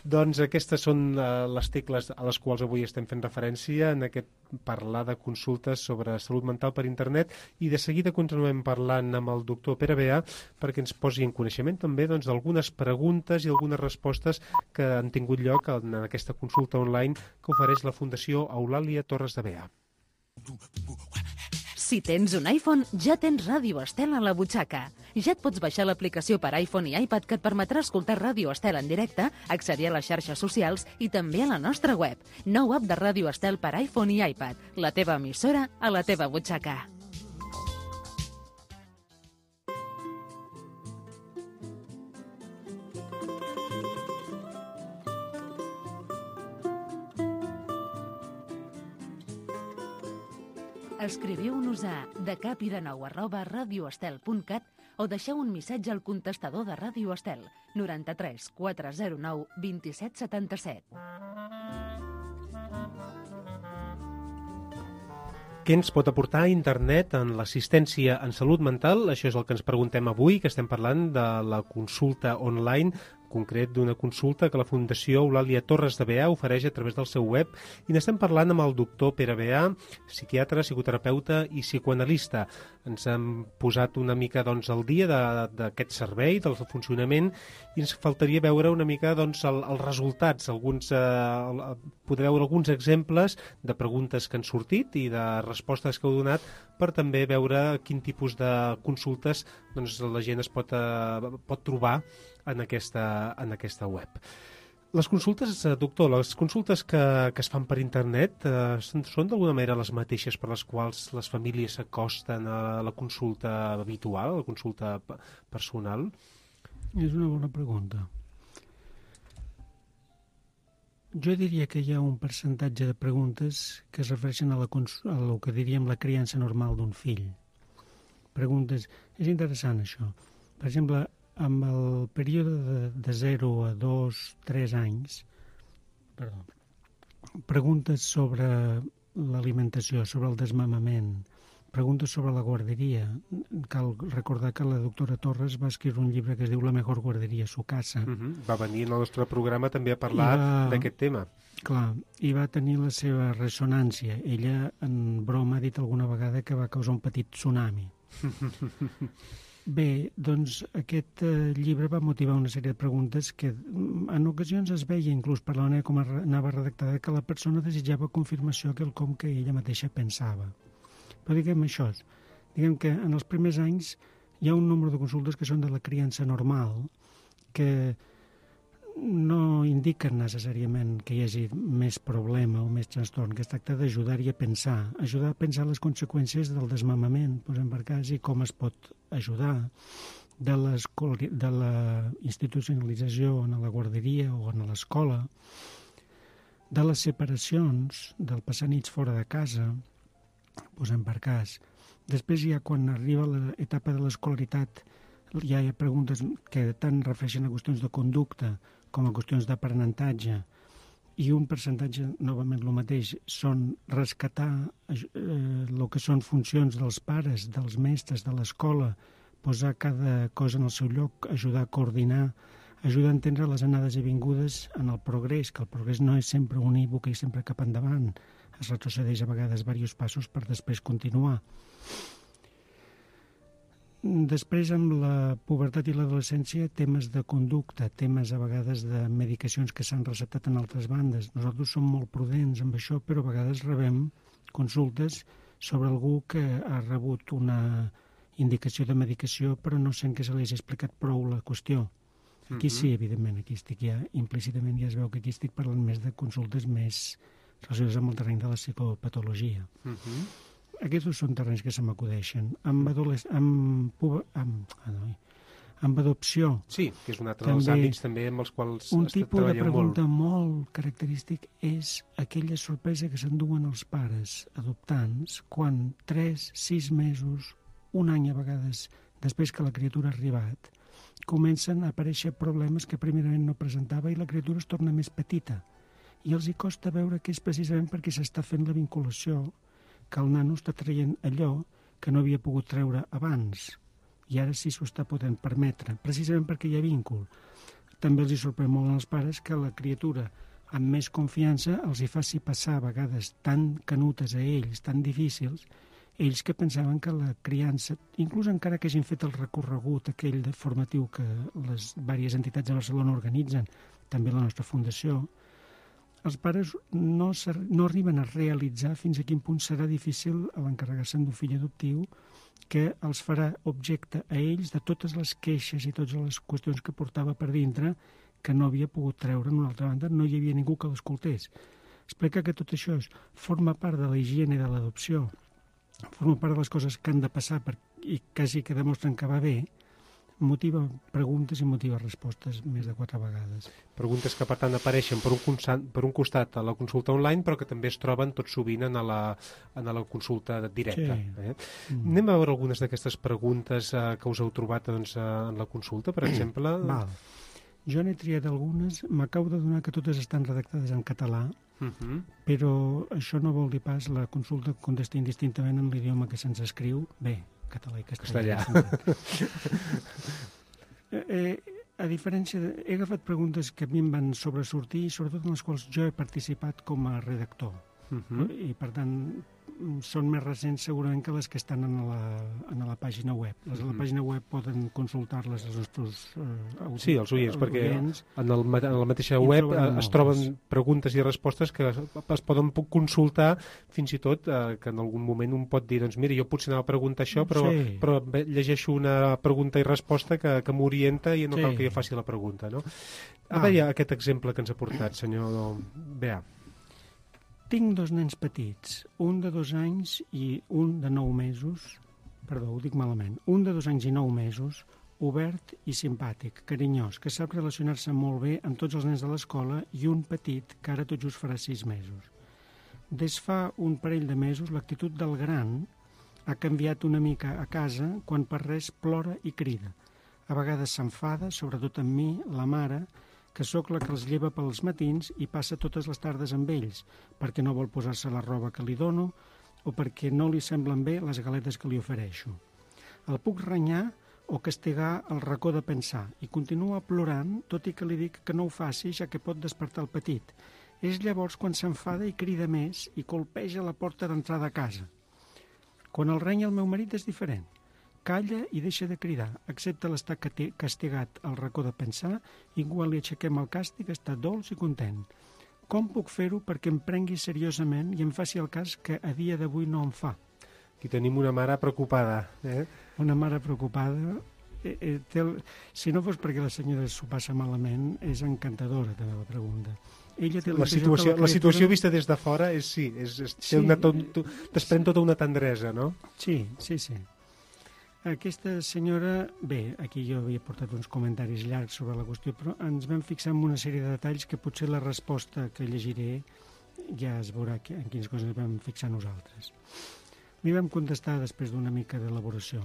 Doncs aquestes són les tecles a les quals avui estem fent referència en aquest parlar de consultes sobre salut mental per internet, i de seguida continuem parlant amb el doctor Pere Beà perquè ens posi en coneixement també d'algunes preguntes i algunes respostes que han tingut lloc en aquesta consulta online que ofereix la Fundació Eulàlia Torres de Beà. Si tens un iPhone, ja tens Ràdio Estel a la butxaca. Ja et pots baixar l'aplicació per iPhone i iPad que et permetrà escoltar Ràdio Estel en directe, accedir a les xarxes socials i també a la nostra web. Nou app de Ràdio Estel per iPhone i iPad. La teva emissora a la teva butxaca. Escriviu-nos a decapidenou@radioestel.cat o deixeu un missatge al contestador de Ràdio Estel 93 409 2777. Què ens pot aportar internet en l'assistència en salut mental? Això és el que ens preguntem avui, que estem parlant de la consulta online, concret d'una consulta que la Fundació Eulàlia Torres de Beà ofereix a través del seu web, i n'estem parlant amb el doctor Pere Beà, psiquiatre, psicoterapeuta i psicoanalista. Ens hem posat una mica al dia d'aquest servei, del funcionament, i ens faltaria veure una mica els resultats, poder veure alguns exemples de preguntes que han sortit i de respostes que heu donat, per també veure quin tipus de consultes la gent es pot trobar en aquesta web. Les consultes, doctor, les consultes que es fan per internet són d'alguna manera les mateixes per les quals les famílies s'acosten a la consulta habitual, a la consulta personal? És una bona pregunta. Jo diria que hi ha un percentatge de preguntes que es refereixen a el que diríem la criança normal d'un fill. Preguntes... És interessant, això. Per exemple, amb el període de 0 a 2, 3 anys, preguntes sobre l'alimentació, sobre el desmamament, preguntes sobre la guarderia. Cal recordar que la doctora Torres va escriure un llibre que es diu La mejor guarderia a su casa. Va venir en el nostre programa també a parlar d'aquest tema. Clar, i va tenir la seva ressonància. Ella, en broma, ha dit alguna vegada que va causar un petit tsunami. Bé, doncs aquest llibre va motivar una sèrie de preguntes que en ocasions es veia, inclús per la manera com anava redactada, que la persona desitjava confirmació que quelcom que ella mateixa pensava. Però diguem això, diguem que en els primers anys hi ha un nombre de consultes que són de la criança normal, que no indiquen necessàriament que hi hagi més problema o més trastorn, que es tracta d'ajudar-hi a pensar les conseqüències del desmamament, posem per cas, i com es pot ajudar, de la institucionalització en la guarderia o en l'escola, de les separacions, del passar nits fora de casa, posem per cas. Després ja quan arriba l'etapa de l'escolaritat ja hi ha preguntes que tant refereixen a qüestions de conducta com a qüestions d'aprenentatge, i un percentatge, novament el mateix, són rescatar el que són funcions dels pares, dels mestres, de l'escola, posar cada cosa en el seu lloc, ajudar a coordinar, ajudar a entendre les anades i vingudes en el progrés, que el progrés no és sempre unívoc i sempre cap endavant, es retrocedeix a vegades diversos passos per després continuar. Després, amb la pubertat i l'adolescència, temes de conducta, temes a vegades de medicacions que s'han receptat en altres bandes. Nosaltres som molt prudents amb això, però a vegades rebem consultes sobre algú que ha rebut una indicació de medicació, però no sent que se li hagi explicat prou la qüestió. Aquí sí, evidentment, aquí estic ja, implícitament ja es veu que aquí estic parlant més de consultes més relacionades amb el terreny de la psicopatologia. Aquests dos són terrenys que se m'acudeixen. Amb adopció. Sí, que és un altre dels àmbits també amb els quals un tipus de pregunta molt. molt característic és aquella sorpresa que s'enduen els pares adoptants quan 3, 6 mesos, un any a vegades, després que la criatura ha arribat, comencen a aparèixer problemes que primerament no presentava i la criatura es torna més petita. I els hi costa veure que és precisament perquè s'està fent la vinculació, que el nano està traient allò que no havia pogut treure abans. I ara sí s'ho està podent permetre, precisament perquè hi ha víncuլ. També els hi sorprèn molt als pares que la criatura, amb més confiança, els hi faci passar a vegades tan canutes a ells, tan difícils, ells que pensaven que la criança, inclús encara que hagin fet el recorregut aquell de formatiu que les diverses entitats de Barcelona organitzen, també la nostra fundació, els pares no arriben a realitzar fins a quin punt serà difícil a l'encarregar-se d'un fill adoptiu que els farà objecte a ells de totes les queixes i totes les qüestions que portava per dintre que no havia pogut treure. En una altra banda, no hi havia ningú que l'escoltés. Explica que tot això forma part de la higiene de l'adopció, forma part de les coses que han de passar i quasi que demostren que va bé, motiva preguntes i motiva respostes més de 4 vegades. Preguntes que, per tant, apareixen per un costat a la consulta online, però que també es troben tot sovint en la consulta directa. Sí. Anem a veure algunes d'aquestes preguntes que us heu trobat doncs, en la consulta, per exemple. Val. Jo n'he triat algunes, m'acabo de donar que totes estan redactades en català, però això no vol dir pas la consulta contesta indistintament en l'idioma que se'ns escriu. Bé, català i castellà. A diferència he agafat preguntes que a mi em van sobresortir i sobretot en les quals jo he participat com a redactor. I per tant són més recents segurament que les que estan en la pàgina web. Les de la pàgina web poden consultar-les els nostres sí, els oients, perquè en la mateixa web es troben preguntes i respostes que es poden consultar fins i tot que en algun moment un pot dir, doncs mira, jo potser anava a preguntar això, però llegeixo una pregunta i resposta que m'orienta i no cal que jo faci la pregunta, no? A veure aquest exemple que ens ha portat, senyor Beà. Tinc 2 nens petits, un de 2 anys i un de 9 mesos, perdó, ho dic malament, un de 2 anys i 9 mesos, obert i simpàtic, carinyós, que sap relacionar-se molt bé amb tots els nens de l'escola i un petit que ara tot just farà 6 mesos. Des fa un parell de mesos l'actitud del gran ha canviat una mica a casa quan per res plora i crida. A vegades s'enfada, sobretot amb mi, la mare, que sóc la que els lleva pels matins i passa totes les tardes amb ells, perquè no vol posar-se la roba que li dono o perquè no li semblen bé les galetes que li ofereixo. El puc renyar o castigar el racó de pensar i continua plorant, tot i que li dic que no ho faci, ja que pot despertar el petit. És llavors quan s'enfada i crida més i colpeja la porta d'entrada a casa. Quan el renya el meu marit és diferent. Calla i deixa de cridar, excepte l'estar castigat al racó de pensar i quan li aixequem el càstig està dolç i content. Com puc fer-ho perquè em prengui seriosament i em faci el cas que a dia d'avui no em fa? Aquí tenim una mare preocupada. Una mare preocupada. Si no fos perquè la senyora s'ho passa malament, és encantadora també la pregunta. La situació vista des de fora desprèn tota una tendresa, no? Sí. Aquesta senyora, bé, aquí jo havia portat uns comentaris llargs sobre la qüestió, però ens vam fixar en una sèrie de detalls que potser la resposta que llegiré ja es veurà en quines coses ens vam fixar nosaltres. Li vam contestar després d'una mica d'elaboració.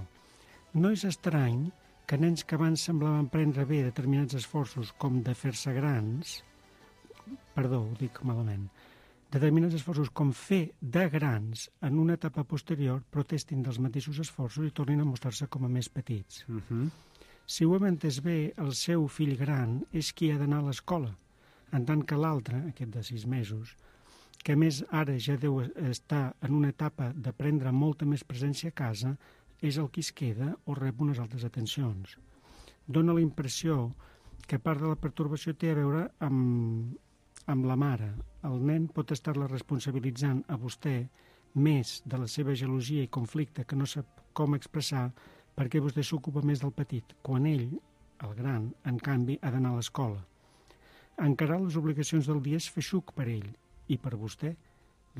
No és estrany que nens que abans semblaven prendre bé determinats esforços com de fer-se grans, perdó, ho dic malament, determinats esforços com fer de grans en una etapa posterior protestin dels mateixos esforços i tornin a mostrar-se com a més petits. Si ho hem entès bé, el seu fill gran és qui ha d'anar a l'escola, en tant que l'altre, aquest de 6 mesos, que a més ara ja deu estar en una etapa de prendre molta més presència a casa, és el qui es queda o rep unes altres atencions. Dóna la impressió que part de la pertorbació té a veure amb la mare. El nen pot estar-la responsabilitzant a vostè més de la seva gelosia i conflicte que no sap com expressar perquè vostè s'ocupa més del petit, quan ell el gran, en canvi, ha d'anar a l'escola. Encarar les obligacions del dia és feixuc per ell, i per vostè,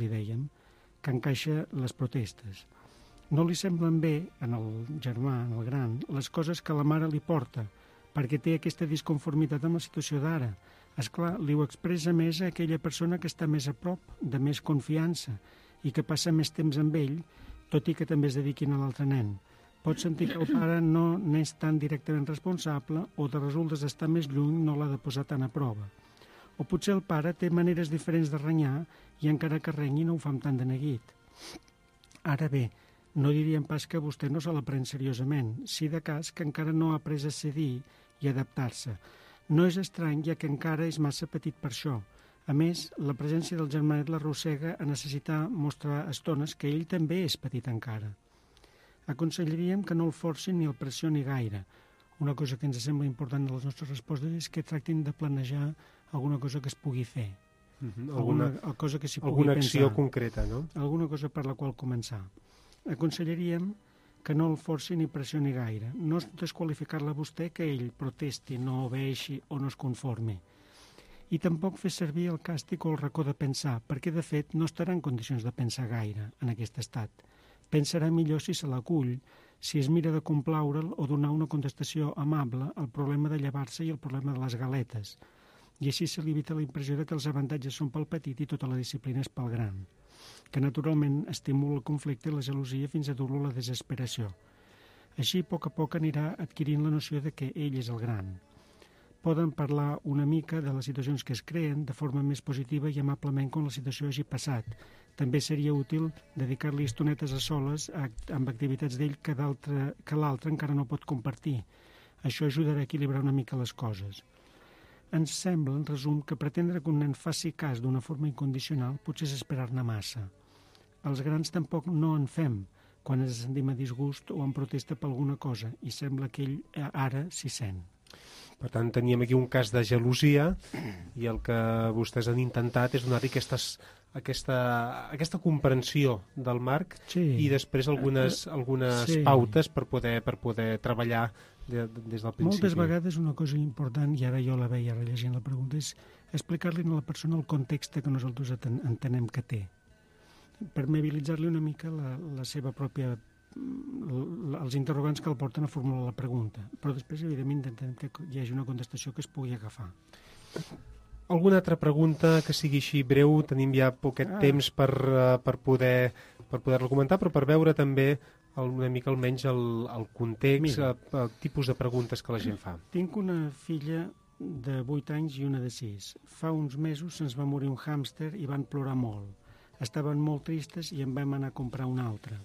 li dèiem, que encaixa les protestes. No li semblen bé, en el germà, en el gran, les coses que la mare li porta, perquè té aquesta disconformitat amb la situació d'ara. Esclar, li ho expressa més a aquella persona que està més a prop, de més confiança, i que passa més temps amb ell, tot i que també es dediquin a l'altre nen. Pot sentir que el pare no n'és tan directament responsable o de resultes d'estar més lluny no l'ha de posar tan a prova. O potser el pare té maneres diferents de renyar i encara que renyi no ho fa amb tant de neguit. Ara bé, no diríem pas que vostè no se la pren seriosament, si de cas que encara no ha après a cedir i adaptar-se. No és estrany, ja que encara és massa petit per això. A més, la presència del germanet l'arrossega a necessitar mostrar estones que ell també és petit encara. Aconsellaríem que no el forcin ni el pressioni gaire. Una cosa que ens sembla important de les nostres respostes és que tractin de planejar alguna cosa que es pugui fer. Alguna cosa que s'hi pugui alguna pensar. acció concreta, no? Alguna cosa per la qual començar. Aconsellaríem que no el forci ni pressioni gaire. No és desqualificar-la a vostè que ell protesti, no obeeixi o no es conformi. I tampoc fer servir el càstig o el racó de pensar, perquè de fet no estarà en condicions de pensar gaire en aquest estat. Pensarà millor si se l'acull, si es mira de complaure'l o donar una contestació amable al problema de llevar-se i al problema de les galetes. I així se li evita la impressió de que els avantatges són pel petit i tota la disciplina és pel gran, que naturalment estimula el conflicte i la gelosia fins a dur-lo a la desesperació. Així, a poc anirà adquirint la noció de que ell és el gran. Poden parlar una mica de les situacions que es creen de forma més positiva i amablement quan la situació hagi passat. També seria útil dedicar-li estonetes a soles amb activitats d'ell que l'altre encara no pot compartir. Això ajudarà a equilibrar una mica les coses. Ens sembla, en resum, que pretendre que un nen faci cas d'una forma incondicional potser és esperar-ne massa. Els grans tampoc no en fem quan ens sentim a disgust o en protesta per alguna cosa i sembla que ell ara s'hi sent. Per tant, teníem aquí un cas de gelosia i el que vostès han intentat és donar-li aquesta comprensió del Marc i després algunes pautes per poder treballar des del principi. Moltes vegades una cosa important, i ara jo la veia rellegint la pregunta, és explicar-li a la persona el context que nosaltres entenem que té. Permeabilitzar-li una mica la seva pròpia els interrogants que el porten a formular la pregunta, però després evidentment intentem que hi hagi una contestació que es pugui agafar. Alguna altra pregunta que sigui així breu? Tenim ja poquet temps per poder-la comentar, però per veure també una mica almenys el context, el tipus de preguntes que la gent fa. Tinc una filla de 8 anys i una de 6. Fa uns mesos se'ns va morir un hàmster i van plorar molt. Estaven molt tristes i en vam anar a comprar un altre.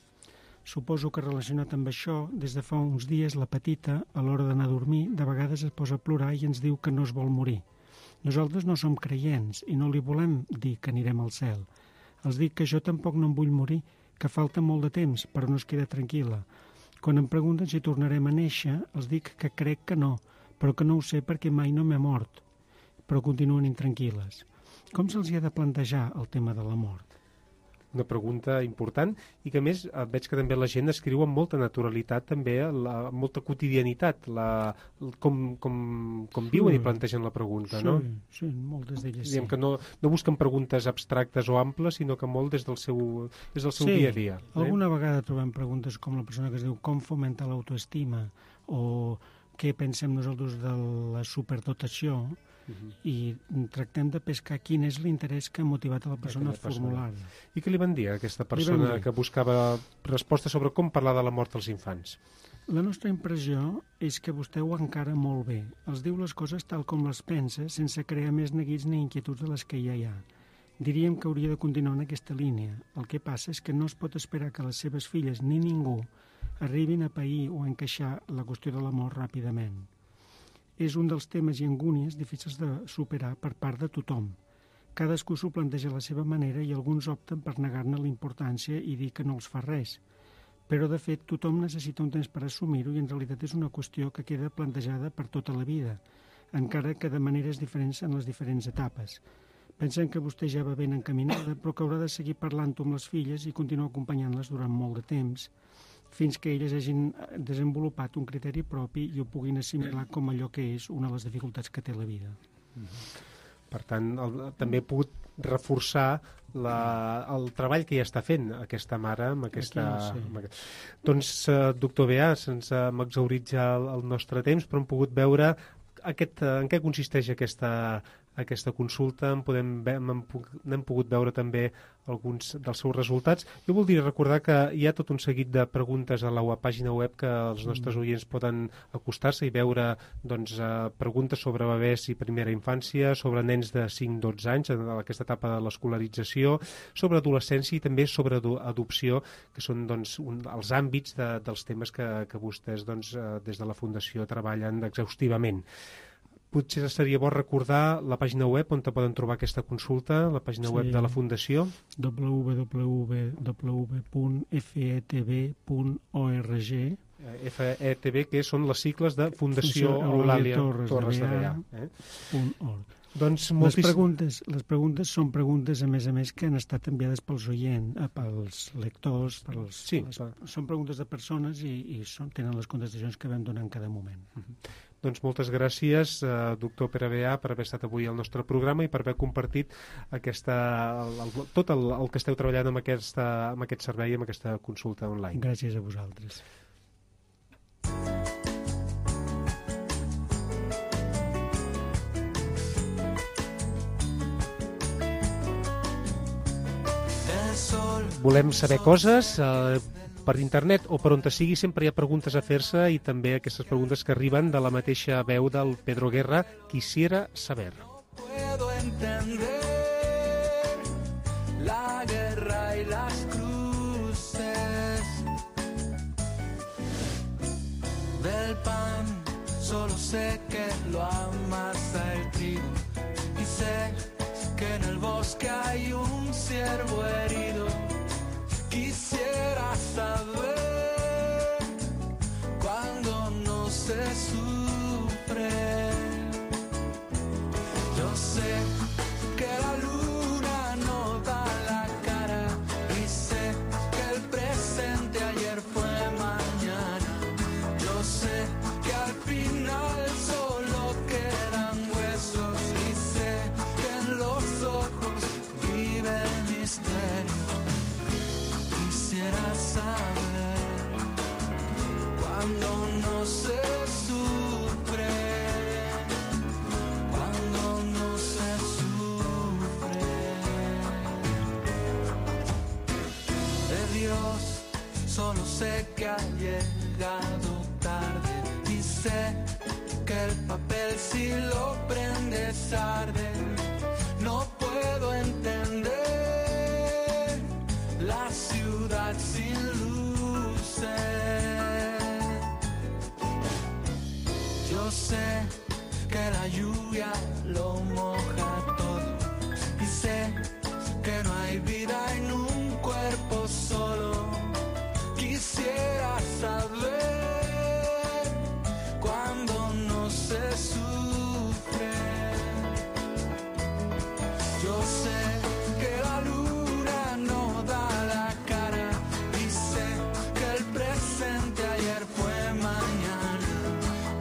Suposo que relacionat amb això, des de fa uns dies la petita, a l'hora d'anar a dormir, de vegades es posa a plorar i ens diu que no es vol morir. Nosaltres no som creients i no li volem dir que anirem al cel. Els dic que jo tampoc no em vull morir, que falta molt de temps, però no es queda tranquil·la. Quan em pregunten si tornarem a néixer, els dic que crec que no, però que no ho sé perquè mai no m'he mort. Però continuen intranquil·les. Com se'ls ha de plantejar el tema de la mort? Una pregunta important i que a més veig que també la gent escriu amb molta naturalitat també, molta quotidianitat com viuen i plantegen la pregunta, no? Sí, moltes d'elles sí. Diguem que no busquen preguntes abstractes o amples, sinó que molt des del seu dia a dia. Alguna vegada trobem preguntes com la persona que es diu com fomentar l'autoestima o què pensem nosaltres de la superdotació, i tractem de pescar quin és l'interès que ha motivat a la persona a formular-la. I què li van dir a aquesta persona que buscava respostes sobre com parlar de la mort als infants? La nostra impressió és que vostè ho encara molt bé. Els diu les coses tal com les pensa, sense crear més neguits ni inquietuds de les que ja hi ha. Diríem que hauria de continuar en aquesta línia. El que passa és que no es pot esperar que les seves filles ni ningú arribin a pair o a encaixar la qüestió de la mort ràpidament. És un dels temes i angúnies difícils de superar per part de tothom. Cadascú s'ho planteja a la seva manera i alguns opten per negar-ne la importància i dir que no els fa res. Però, de fet, tothom necessita un temps per assumir-ho i en realitat és una qüestió que queda plantejada per tota la vida, encara que de maneres diferents en les diferents etapes. Pensem que vostè ja va ben encaminada, però que haurà de seguir parlant-ho amb les filles i continuar acompanyant-les durant molt de temps. fins que elles hagin desenvolupat un criteri propi i ho puguin assimilar com allò que és una de les dificultats que té la vida. Per tant, també he pogut reforçar el treball que ja està fent aquesta mare amb aquesta... Doncs, doctor Beà, se'ns hem exhaurit ja el nostre temps, però hem pogut veure en què consisteix aquesta consulta, n'hem pogut veure també alguns dels seus resultats. Jo voldria recordar que hi ha tot un seguit de preguntes a la pàgina web que els nostres oients poden acostar-se i veure preguntes sobre bebès i primera infància, sobre nens de 5-12 anys en aquesta etapa de l'escolarització, sobre adolescència i també sobre adopció, que són els àmbits dels temes que vostès des de la Fundació treballen exhaustivament. Potser seria bo recordar la pàgina web on poden trobar aquesta consulta, la pàgina web de la Fundació. www.fetv.org. FETV, que són les sigles de Fundació Eulàlia Torres de Beà. Doncs les preguntes són preguntes, a més, que han estat enviades pels oients, pels lectors, són preguntes de persones i tenen les contestacions que vam donar en cada moment. Doncs moltes gràcies, doctor Pere Beà, per haver estat avui al nostre programa i per haver compartit tot el que esteu treballant amb aquest servei, amb aquesta consulta online. Gràcies a vosaltres. Volem saber coses per internet o per on sigui, sempre hi ha preguntes a fer-se i també aquestes preguntes que arriben de la mateixa veu del Pedro Guerra, quisiera saber. Puedo entender la guerra y las cruces del pan, solo sé que lo amasa el trigo y sé que en el bosque hay un ciervo herido. Quisiera saber cuando no se sufre. Yo sé que la luna no da la cara y sé que el presente ayer fue mañana. Yo sé que al final solo quedan huesos y sé que en los ojos vive el misterio. Quisiera saber cuando no se sufre, cuando no se sufre. De Dios solo sé que ha llegado tarde y sé que el papel si lo prendes arde. No puedo entender la ciudad sin luces. Yo sé que la lluvia lo moja todo y sé que no hay vida en un cuerpo solo. Quisiera saber cuando no se sufre. Yo sé que la luna no da la cara y sé que el presente ayer fue mañana.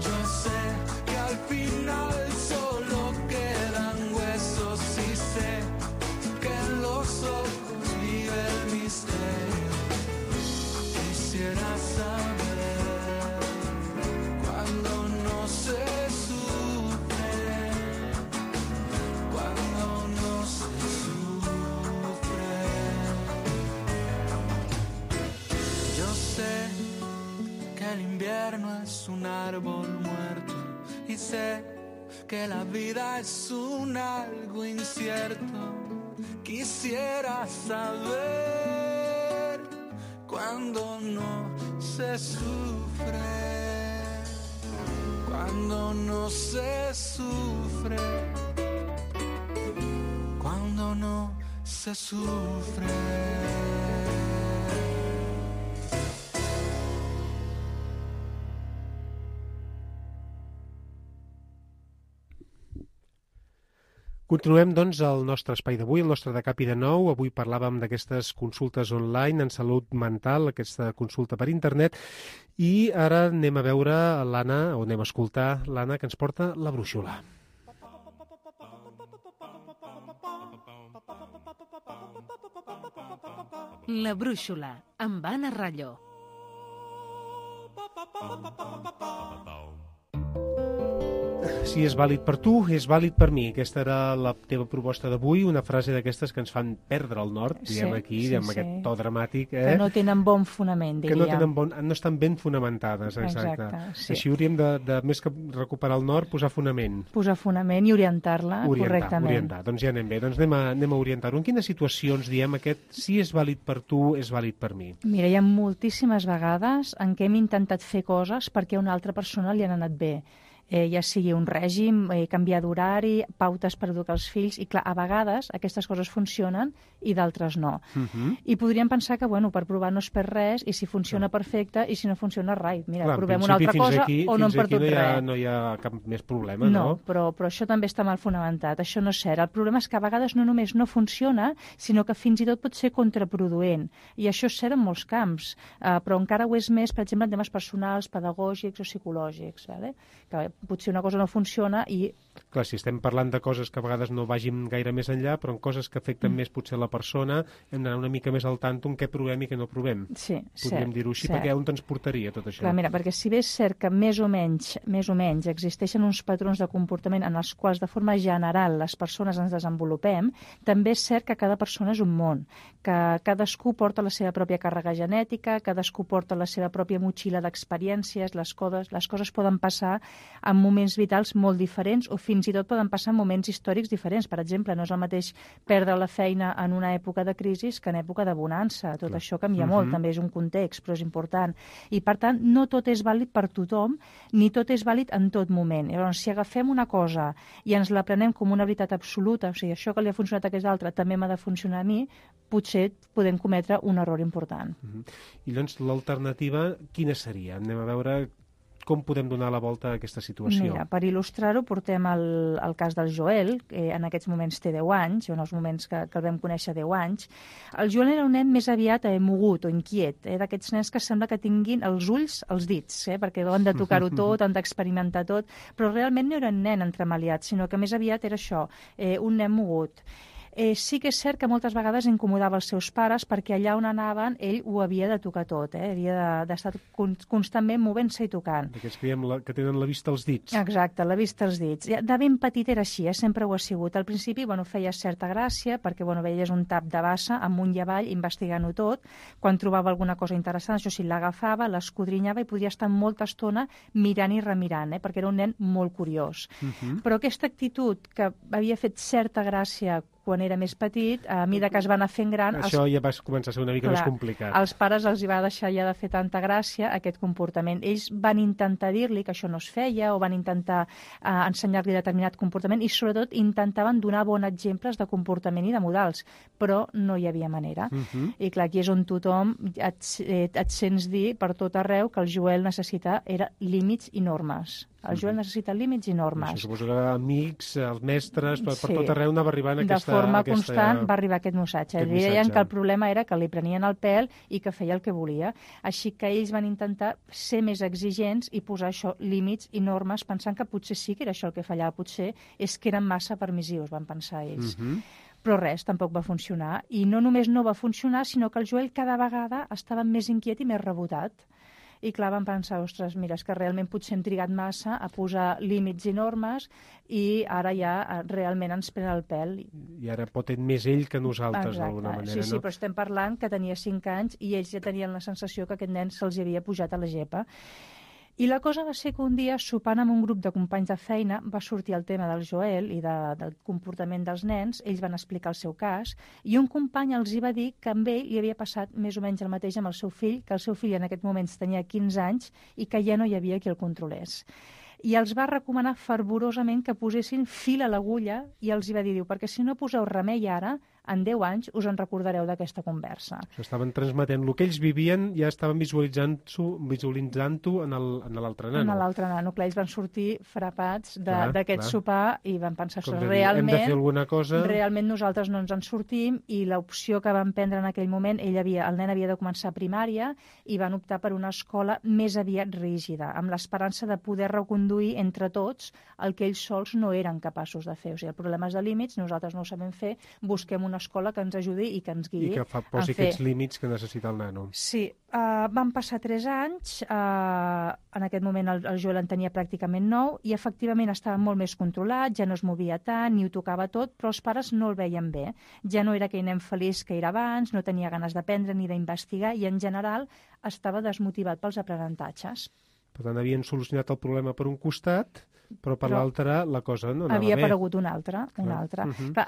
Yo sé que al final solo quedan huesos y sé que en los ojos vive el misterio. Quisiera saber cuando no se sufre, cuando no se sufre. Yo sé que el invierno es un árbol muerto y sé que la vida es un algo incierto. Quisiera saber cuando no se sufre, cuando no se sufre, cuando no se sufre. Continuem, doncs, el nostre espai d'avui, el nostre de Cap i de Nou. Avui parlàvem d'aquestes consultes online en salut mental, aquesta consulta per internet, i ara anem a veure l'Anna, o anem a escoltar l'Anna, que ens porta la brúixola. La brúixola, amb Anna Rallo. Si és vàlid per tu, és vàlid per mi. Aquesta era la teva proposta d'avui, una frase d'aquestes que ens fan perdre el nord, diguem aquí, amb aquest to dramàtic. Que no tenen bon fonament, diríem. Que no estan ben fonamentades, exacte. Sí. Així hauríem de, més que recuperar el nord, posar fonament. Posar fonament i orientar-la correctament. Orientar. Doncs ja anem bé, doncs anem a orientar-ho. En quines situacions diem aquest si és vàlid per tu, és vàlid per mi? Mira, hi ha moltíssimes vegades en què hem intentat fer coses perquè a una altra persona li han anat bé. Ja sigui un règim, canviar d'horari, pautes per educar els fills, i clar, a vegades aquestes coses funcionen i d'altres no. I podríem pensar que, bueno, per provar no es perd res, i si funciona perfecte, i si no funciona, mira, provem una altra cosa o no hem perdut res. No hi ha cap més problema, no? No, però això també està mal fonamentat, això no és cert. El problema és que a vegades no només no funciona, sinó que fins i tot pot ser contraproduent, i això és cert en molts camps, però encara ho és més, per exemple, en temes personals, pedagògics o psicològics, que potser una cosa no funciona i... Clar, si estem parlant de coses que a vegades no vagin gaire més enllà, però en coses que afecten més potser la persona, hem d'anar una mica més al tanto en què provem i què no provem. Sí, podríem dir-ho així, perquè on ens portaria tot això? Clar, mira, perquè si bé és cert que més o menys existeixen uns patrons de comportament en els quals de forma general les persones ens desenvolupem, també és cert que cada persona és un món, que cadascú porta la seva pròpia càrrega genètica, cadascú porta la seva pròpia motxilla d'experiències, les coses poden passar en moments vitals molt diferents o fins i tot poden passar en moments històrics diferents. Per exemple, no és el mateix perdre la feina en una època de crisi que en època de bonança. Tot això canvia molt, també és un context, però és important. I, per tant, no tot és vàlid per tothom, ni tot és vàlid en tot moment. Llavors, si agafem una cosa i ens la prenem com una veritat absoluta, o sigui, això que li ha funcionat a aquest altre també m'ha de funcionar a mi, potser podem cometre un error important. I doncs l'alternativa quina seria? Anem a veure com podem donar la volta a aquesta situació. Mira, per il·lustrar-ho portem el cas del Joel, que en aquests moments té 10 anys, en els moments que el vam conèixer 10 anys. El Joel era un nen més aviat mogut o inquiet, d'aquests nens que sembla que tinguin els ulls als dits, perquè han de tocar-ho tot, han d'experimentar tot, però realment no era un nen entremaliat, sinó que més aviat era això, un nen mogut. Sí que és cert que moltes vegades incomodava els seus pares perquè allà on anaven ell ho havia de tocar tot, havia d'estar constantment movent-se i tocant. D'aquests que tenen la vista als dits. Exacte, la vista als dits. De ben petit era així, sempre ho ha sigut. Al principi feia certa gràcia perquè veies un tap de bassa amunt i avall investigant-ho tot. Quan trobava alguna cosa interessant, això sí, l'agafava, l'escodrinyava i podia estar molta estona mirant i remirant, perquè era un nen molt curiós. Però aquesta actitud que havia fet certa gràcia quan era més petit, a mesura que es va anar fent gran... Això ja va començar a ser una mica més complicat. Als pares els hi va deixar ja de fer tanta gràcia aquest comportament. Ells van intentar dir-li que això no es feia o van intentar ensenyar-li determinat comportament i sobretot intentaven donar bons exemples de comportament i de modals, però no hi havia manera. I clar, aquí és on tothom et sents dir per tot arreu que el Joel necessita límits i normes. El Joel necessita límits i normes. Suposo que amics, els mestres, per tot arreu anava arribant aquesta... De forma constant va arribar aquest missatge. Li deien que el problema era que li prenien el pèl i que feia el que volia. Així que ells van intentar ser més exigents i posar això, límits i normes, pensant que potser sí que era això el que fallava, potser és que eren massa permissius, van pensar ells. Però res, tampoc va funcionar. I no només no va funcionar, sinó que el Joel cada vegada estava més inquiet i més rebotat. I clar, vam pensar, ostres, mira, és que realment potser hem trigat massa a posar límits i normes i ara ja realment ens pren el pèl. I ara pot ser més ell que nosaltres, d'alguna manera, sí, però estem parlant que tenia 5 anys i ells ja tenien la sensació que aquest nen se'ls havia pujat a la gepa. I la cosa va ser que un dia, sopant amb un grup de companys de feina, va sortir el tema del Joel i del comportament dels nens. Ells van explicar el seu cas i un company els hi va dir que amb ell li havia passat més o menys el mateix amb el seu fill, que el seu fill en aquest moments tenia 15 anys i que ja no hi havia qui el controlés. I els va recomanar fervorosament que posessin fil a l'agulla i els hi va dir, perquè si no poseu remei ara, en 10 anys us en recordareu d'aquesta conversa. Estaven transmetent el que ells vivien, ja estaven visualitzant-ho en l'altre nano. En l'altre nano. Clar, ells van sortir frapats d'aquest clar. sopar i van pensar, Com de dir, hem de fer alguna cosa. Realment nosaltres no ens en sortim, i l'opció que van prendre en aquell moment, el nen havia de començar primària i van optar per una escola més aviat rígida, amb l'esperança de poder reconduir entre tots el que ells sols no eren capaços de fer. O sigui, el problema és de límits, nosaltres no ho sabem fer, busquem una escola que ens ajudi i que ens guiï. I que posi aquests límits que necessita el nano. Sí, van passar 3 anys, en aquest moment el Joel en tenia pràcticament 9 i efectivament estava molt més controlat, ja no es movia tant, ni ho tocava tot, però els pares no el veien bé. Ja no era aquell nen feliç que era abans, no tenia ganes d'aprendre ni d'investigar i en general estava desmotivat pels aprenentatges. Per tant, havien solucionat el problema per un costat, però per l'altre la cosa no anava bé. Havia aparegut un altre. Clar,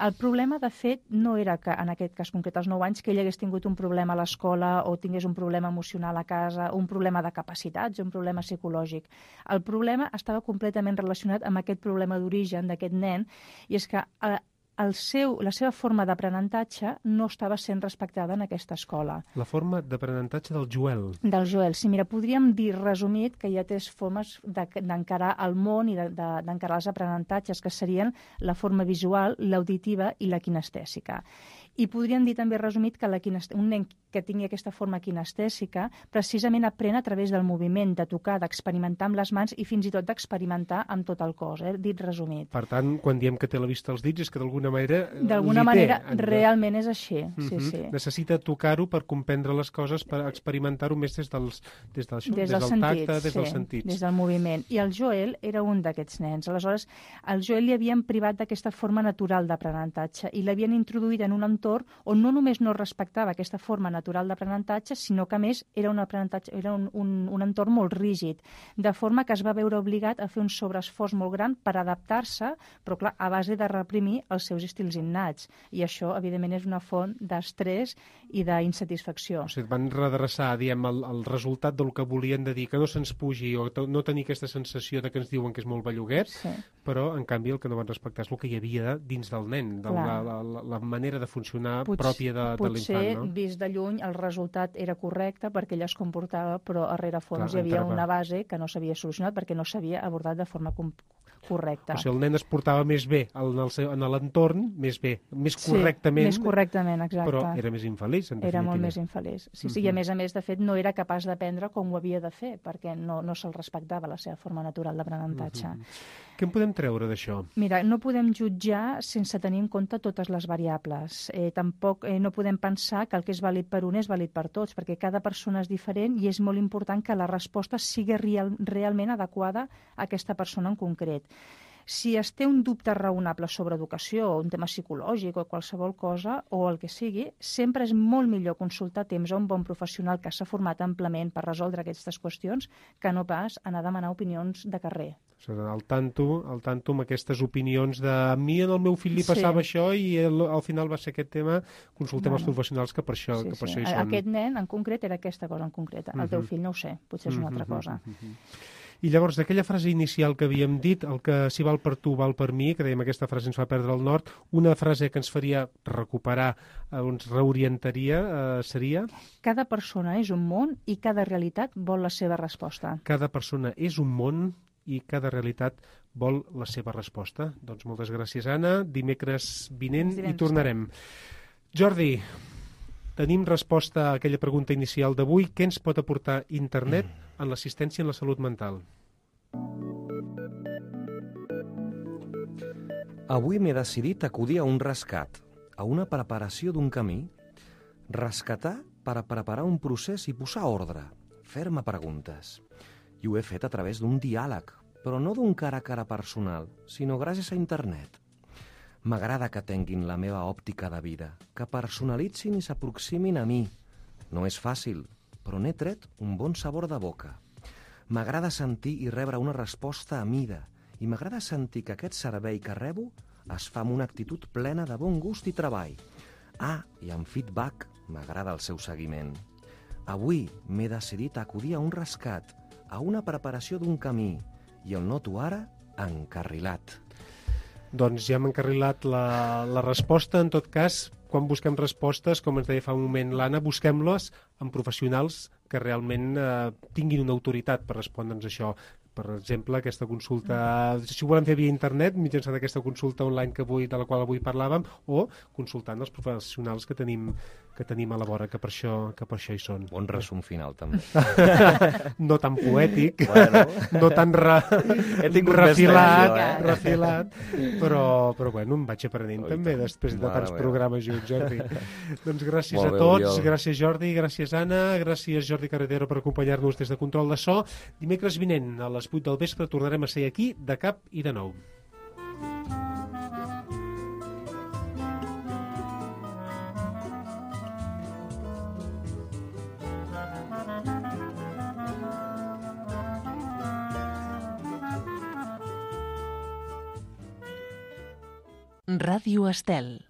el problema, de fet, no era que, en aquest cas concret, als 9 anys, que ell hagués tingut un problema a l'escola o tingués un problema emocional a casa, un problema de capacitats, un problema psicològic. El problema estava completament relacionat amb aquest problema d'origen d'aquest nen, i és que la seva forma d'aprenentatge no estava sent respectada en aquesta escola. La forma d'aprenentatge del Joel. Del Joel, sí. Mira, podríem dir, resumit, que hi ha 3 formes d'encarar el món i d'encarar els aprenentatges, que serien la forma visual, l'auditiva i la kinestèsica. I podríem dir també, resumit, que un nen que tingui aquesta forma kinestèsica precisament aprèn a través del moviment, de tocar, d'experimentar amb les mans i fins i tot d'experimentar amb tot el cos, dit resumit. Per tant, quan diem que té la vista als dits és que d'alguna manera realment és així. Sí. Necessita tocar-ho per comprendre les coses, per experimentar-ho més des del tacte, des dels sentits. Des del moviment. I el Joel era un d'aquests nens. Aleshores, al Joel li havien privat d'aquesta forma natural d'aprenentatge i l'havien introduït en un entorn on no només no respectava aquesta forma natural d'aprenentatge, sinó que, a més, era un entorn molt rígid, de forma que es va veure obligat a fer un sobreesforç molt gran per adaptar-se, però, clar, a base de reprimir els seus estils innats. I això, evidentment, és una font d'estrès i d'insatisfacció. O sigui, van redreçar, el resultat del que volien de dir, que no se'ns pugi o no tenir aquesta sensació de que ens diuen que és molt belluguet, però, en canvi, el que no van respectar és el que hi havia dins del nen, la manera de funcionar pròpia de l'infant, no? Potser, vist de lluny, el resultat era correcte perquè ella es comportava, però a rerefons hi havia una base que no s'havia solucionat perquè no s'havia abordat de forma correcta. O sigui, el nen es portava més bé en l'entorn, més correctament. Més correctament, exacte. Però era més infeliç, en definitiva. Era molt més infeliç. Sí, i a més, de fet, no era capaç d'aprendre com ho havia de fer, perquè no se'l respectava la seva forma natural d'aprenentatge. Què en podem treure d'això? Mira, no podem jutjar sense tenir en compte totes les variables. Tampoc no podem pensar que el que és vàlid per un és vàlid per tots, perquè cada persona és diferent i és molt important que la resposta sigui realment adequada a aquesta persona en concret. Si es té un dubte raonable sobre educació, o un tema psicològic o qualsevol cosa, o el que sigui, sempre és molt millor consultar a temps a un bon professional que s'ha format amplament per resoldre aquestes qüestions que no pas anar a demanar opinions de carrer. Al tanto amb aquestes opinions de a mi en el meu fill li passava això i al final va ser aquest tema, consultem els professionals que per això hi són. Aquest nen en concret era aquesta cosa en concreta. El teu fill no ho sé, potser és una altra cosa. I llavors, d'aquella frase inicial que havíem dit, el que si val per tu, val per mi, que dèiem aquesta frase ens fa perdre el nord, una frase que ens faria recuperar, ens reorientaria, seria? Cada persona és un món i cada realitat vol la seva resposta. Cada persona és un món i cada realitat vol la seva resposta. Doncs moltes gràcies, Anna. Dimecres vinent hi tornarem. Jordi, tenim resposta a aquella pregunta inicial d'avui. Què ens pot aportar internet en l'assistència en la salut mental? Avui m'he decidit acudir a un rescat, a una preparació d'un camí. Rescatar per a preparar un procés i posar ordre, fer-me preguntes. I ho he fet a través d'un diàleg, però no d'un cara a cara personal, sinó gràcies a internet. M'agrada que tinguin la meva òptica de vida, que personalitzin i s'aproximin a mi. No és fàcil, però n'he tret un bon sabor de boca. M'agrada sentir i rebre una resposta a mida, i m'agrada sentir que aquest servei que rebo es fa amb una actitud plena de bon gust i treball. I amb feedback m'agrada el seu seguiment. Avui m'he decidit a acudir a un rescat, a una preparació d'un camí, i el noto ara encarrilat. Doncs ja hem encarrilat la resposta. En tot cas, quan busquem respostes, com ens deia fa un moment l'Anna, busquem-les en professionals que realment tinguin una autoritat per respondre'ns això. Per exemple, aquesta consulta, si ho volem fer via internet, mitjançant aquesta consulta online de la qual avui parlàvem, o consultant els professionals que tenim a la vora, que per això hi són. Bon resum final, també. No tan poètic, Bueno. no tan He tingut més feina, refilat, però bueno, em vaig aprenent Oi, també tant. després de Mare tants meva. programes junts, Jordi. Doncs gràcies Molt a bé, tots, Oriol. gràcies Jordi, gràcies Anna, gràcies Jordi Carretero per acompanyar-nos des de Control de So. Dimecres vinent a les 8 del vespre tornarem a ser aquí de cap i de nou. Ràdio Estel.